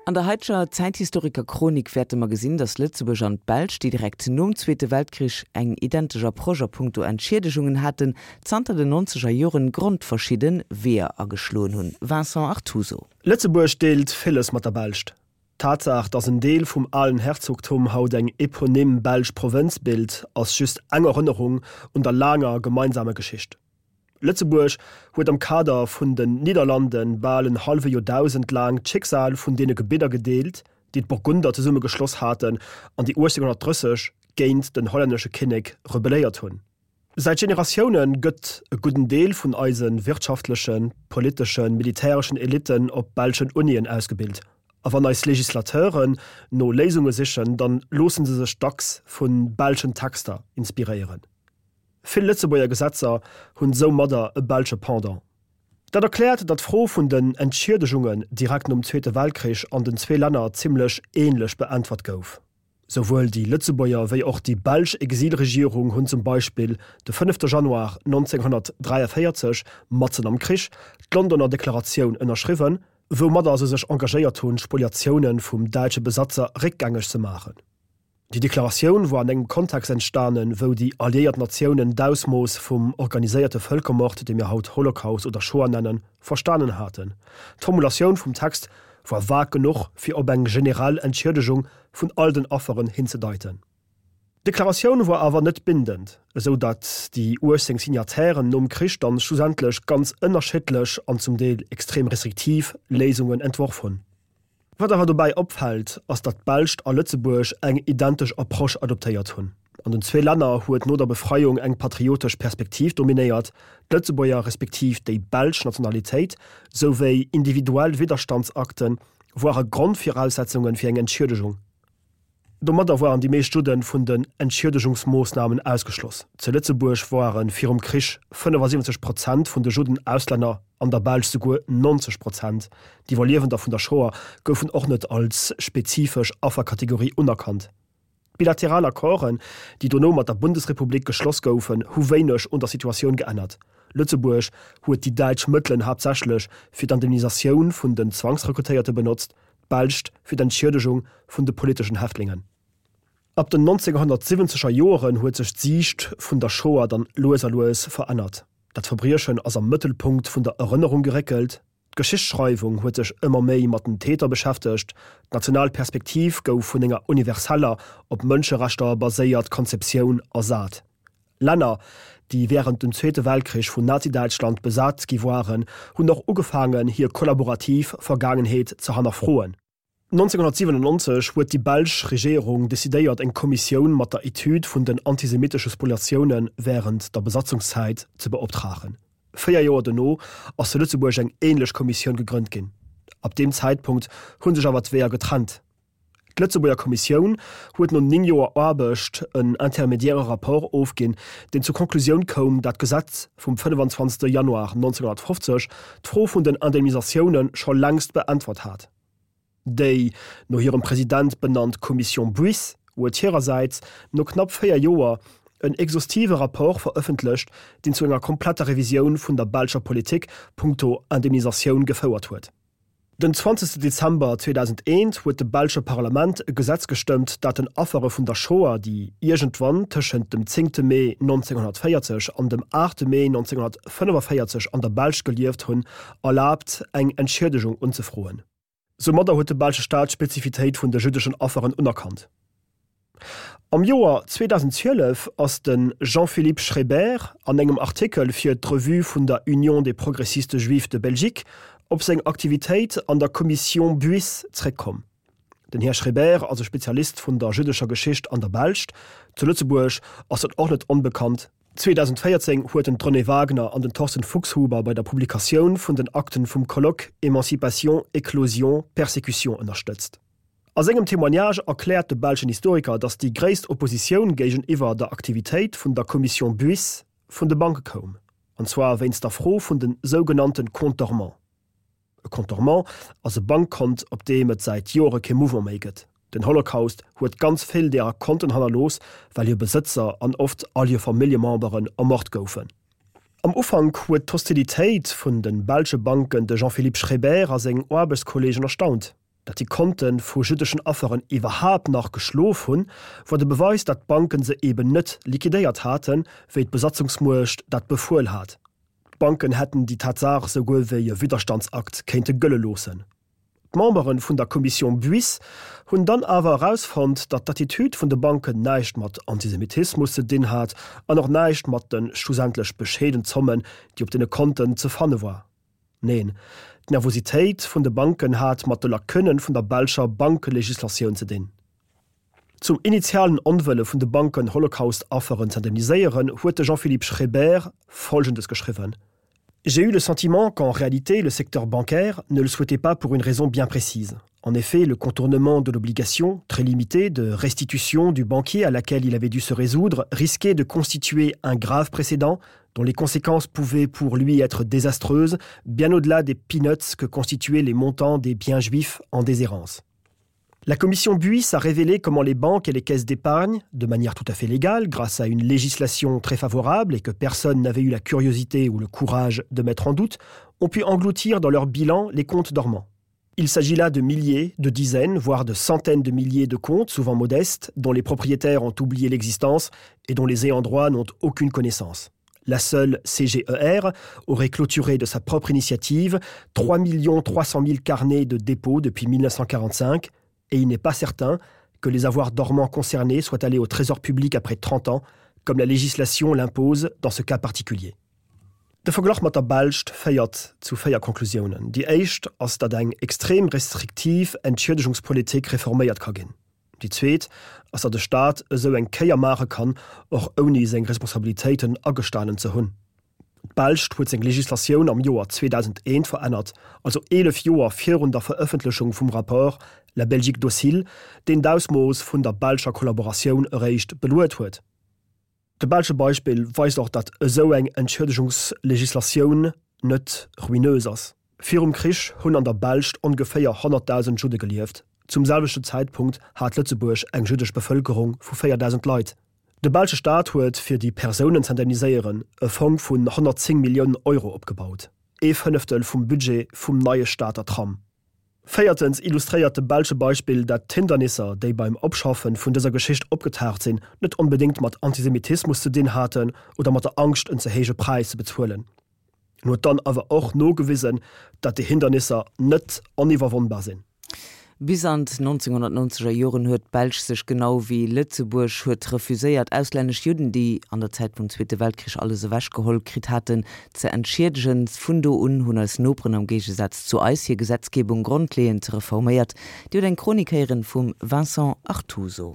An der haiteger Zäithistoriker-Chronik wäerte mer gesinn, datt Lëtzebuerg an d'Belsch, déi direkt nom Zweete Weltkrich eng identesch Approche a punkto Entschiedegungen haten, zanter den nonzeger Joren grondverschidde Weeër ageschloen hunn. Vincent Artuso. Lëtzebuerg deelt villes mat der Belscht. D'Tatsaach, datt en Deel vum alen Herzogtum haut eng eponym belsch Provënz bilt, ass just eng Erënnerung un der laanger gemeinsamer Geschicht. Lëtzebuerg huet am Kader vun den Nidderlande bal en hallwe Joerdausend laang d'Schicksal vun deene Gebidder gedeelt, déi d'Burgunder zesumme geschloss haten an déi 1830 géint den hollännesche Kinnek rebelléiert hunn. Säit Generatioune gëtt e gudden Deel vun eise wirtschaftlechen, politeschen, militäreschen Elitten op belschen Unien ausgebilt. A wann eis Legislateuren no Léisunge sichen, dann loosse se sech dacks vu belschen Texter inspiréieren. Vill Lëtzebuerger Gesetzer hunn soumadder e belsche Pendant. Dat erkläert, datt d'Fro vun den Entschiedegungen direkt nom Zweete Weltkrich an den zwee Länner zimmlech änlech beäntwert gouf. Souwuel déi Lëtzebuerger wéi och déi belsch Exilregierung hunn zum Beispill de fënnefte Januar 1943, matzen am Krich, d'Londoner Deklaratioun ënnerschriwwen, woumadder se sech engagéiert hunn, d'Spoliatioune vum däitsche Besatzer réckgängeg ze maachen. Déi Deklaratioun war an engem Kontext entstanen, wou déi alliéiert Natiounen d'Ausmooss vum organiséierte Vëlkermord, dee mir haut Holocaust oder Shoah nennen, verstanen haten. D'Formulatioun vum Text war vag genuch, fir op eng generell Entschiedegung vun all den Afferen hinzedeiten. D'Deklaratioun war awer net bindend, esou datt déi 18 Signatairen nom Krich dann schlussendlech ganz ënnerschiddlech an zum Deel extrem restriktiv Léisungen entworf hunn. Wat awer dobäi opfält, ass datt d'Belscht a Lëtzebuerg eng identesch Approche adoptéiert hunn. An den zwee Länner huet no der Befreiung eng patriotesch Perspektiv dominéiert, d'Lëtzebuerger respektiv déi belsch Nationalitéit souwéi individuell Widderstandsakte woare Grondviraussetzunge fir eng Entschiedegung. Domadder woaren déi meescht Judden vun den Entschiedegungsmoossnamen ausgeschloss. Zu Lëtzebuerg woare virum Krich 75 Prozent vun de Judden Auslänner, an der Belsch souguer 90 Prozent. D'Iwwerliewender vun der Shoah goufen och net als spezifesch Afferkategorie unerkannt. D'bilateral Accorden, déi dono mat der Bundesrepublik geschloss goufen, hu wéineg un der Situatioun geännert. Lëtzebuerg huet déi däitsch Mëttelen haaptsächlech fir d'Indemnisatioun vun den Zwangsrekrutéierte benotzt, d'Belscht fir d'Entschiedegung vun de politeschen Häftlingen. Ab den 1970er Joeren huet sech d'Siicht vun der Shoah dann lues a lues verännert. Dat Verbriechen ass am Mëttelpunkt vun der Erënnerung geréckelt, d'Geschichtsschreiwung huet sech ëmmer méi mat den Täter beschäftegt, d'national Perspektiv gouf vun enger universeller, op Mënscherechter baséiert Konzeptioun ersat. Länner, déi wärend dem Zweete Weltkrich vun Nazi-Däitschland besat gi waren, hunn och ugefaangen, hir kollaborativ Vergaangenheet ze hannerfroen. 1997 huet déi belsch Regierung decidéiert, eng Kommissioun mat der Etüd vun den antisemitesche Spoliatioune wärend der Besatzungszäit ze beoptragen. Véier Joer dono ass zu Lëtzebuerg eng änlech Kommissioun gegrënnt ginn. Ab deem Zäitpunkt hu sech awer d'Weeër getrennt. D'Lëtzebuerger Kommissioun huet no 9 Joer Aarbecht en intermédiaire Rapport ofginn, deen zur Konklusioun koum, dat d'Gesetz vum 25 Januar 1950 d'Fro vun den Indemnisatioune scho längst beäntwert hat. Déi no hirem President benannt Commission Buysse huet hirersäits no knapp 4 Joer en exhaustive Rapport verëffentlecht, deen zu enger kompletter Revisioun vun der belscher Politik punkto Indemnisatioun gefouert huet. Den 20 Dezember 2001 huet de belsche Parlament e Gesetz gestëmmt, dat den Affere vun der Shoah, déi iergendwann tëschent dem zéngte Mee 1940 an dem aachte Mee 1945 an der Belsch gelieft hunn, erlaabt, eng Entschiedegung unzefroen. Soumadder huet de belsche Staat d'Spezifitéit vun de jüddeschen Afferen unerkannt. Am Joer 2012 ass de Jean-Philippe Schreiber an engem Artikel fir d'Revue vun der Union des progressistes juifs de Belgique op seng Aktivitéit an der Commission Buysse zréckkomm. Den Här Schreiber ass e Spezialist vun der jüddescher Geschicht an der Belscht, zu Lëtzebuerg ass en och net onbekannt. 2014 huet en d'Renée Wagner an den Thorsten Fuchshuber bei der Publikatioun vun den Akten vum Colloque Émancipation, Éclosion, Persécution ënnerstëtzt. A sengem Témoignage erkläert de belschen Historiker, datt déi gréisst Oppositioun géigeniwwer der Aktivitéit vun der Commission Buysse vun de Banke koum, an zwar wéinst der Fro vun de sougenannte Comptes dormants. E Compte dormant ass e Bankkont, op deem et säit Joere kee Mouvement méi gëtt. Den Holocaust huet ganz vill deerer Konten hannerlooss, well hir Besëtzer an oft all hir Familljememberen ermort goufen. Am Ufank huet d'Hostilitéit vun de belsche Banken de Jean-Philippe Schreiber a seng Aarbechtskolleegen erstaunt. Datt déi Konte vu jüddeschen Afferen iwwerhaapt nach geschlof hunn, wor de Beweis, datt d'Banken se eben net liquidéiert haten, wéi d'Besatzungsmuecht dat befuel hat. D'Banken hätten déi Tatsaach souguer wéi e Widderstandsakt kéinte gëlle loossen. D'Membere vun der Commission Buis hunn dann awer erausfonnt, datt d'Attitüd vun de Banken näischt mat Antisemitismus ze dinn hat an och näischt mat de schlussendlech bescheeden Zommen, déi op deene Konten ze fanne war. Neen, d'Nervositéit vun de Banken hat mat de Lacunnen vun der belscher Bankelegislatioun ze dinn. Zum initialen Onwëlle vun de Banken Holocaust-Afferen z'indemniséieren, huet de Jean-Philippe Schreber Folgendes geschriwwen, J'ai eu le sentiment qu'en réalité le secteur bancaire ne le souhaitait pas pour une raison bien précise. En effet, le contournement de l'obligation, très limitée, de restitution du banquier à laquelle il avait dû se résoudre risquait de constituer un grave précédent dont les conséquences pouvaient pour lui être désastreuses, bien au-delà des peanuts que constituaient les montants des biens juifs en déshérence. La commission Buis a révélé comment les banques et les caisses d'épargne, de manière tout à fait légale, grâce à une législation très favorable et que personne n'avait eu la curiosité ou le courage de mettre en doute, ont pu engloutir dans leur bilan les comptes dormants. Il s'agit là de milliers, de dizaines, voire de centaines de milliers de comptes, souvent modestes, dont les propriétaires ont oublié l'existence et dont les ayants droit n'ont aucune connaissance. La seule CGER aurait clôturé de sa propre initiative 3 300 000 carnets de dépôts depuis 1945 et il n'est pas certain que les avoirs dormants concernés soient allés au trésor public après 30 ans, comme la législation l'impose dans ce cas particulier. De Verglach mat der Belscht féiert zu 4 Konklusiounen. Déi éischt ass, datt eng extrem restriktiv Entschiedegungspolitik reforméiert ka ginn. Déi zweet ass, datt e Staat esou eng Kéier maache kann, och ouni seng Responsabilitéiten agestanen ze hunn. D'Belscht huet seng Legislatioun am Joer 2001 verännert, also 11 Joer virun der Verëffentlechung vum Rapport La Belgique docile, deen d'Ausmooss vun der belscher Kollaboratioun eréischt beluet huet. De belsche Beispill weist och, datt esou eng Entschiedegungslegislatioun net ruineuse ass. Virum Krich hunn an der Belscht ongeféier 100.000 Judde gelieft. Zum selwechten Zäitpunkt hat Lëtzebuerg eng jüddesch Bevëlkerung vu 4.000 Leit. De belsche Staat huet, fir déi Persounen z'indemniséieren, e Fong vun 110 Milliounen Euro opgebaut, ee Fënneftel vum Budget vum neie Stater Tram. Véiertens illustréiert de belsche Beispill, dat d'Hindernisser, déi beim Opschaffen vun dëser Geschicht opgetaucht sinn, net onbedéngt mat Antisemitismus ze dinn haten oder mat der Angscht en ze héije Präis ze bezuelen. En huet dann awer och nogewisen, dat déi Hindernisser net oniwwerwonnbar sinn. Bis an d'1990er Joren huet d'Belsch sech genau wéi Lëtzebuerg huet refuséiert, auslännesch Judden, déi an der Zäit vum Zweete Weltkrich alles ewechgeholl kritt haten, ze entschiedegen. Vun do un hunn eis Noperen am Géigesaz zu eis hir Gesetzgebung grondleeënd reforméiert. Dir hutt eng Chronik héieren vum Vincent Artuso.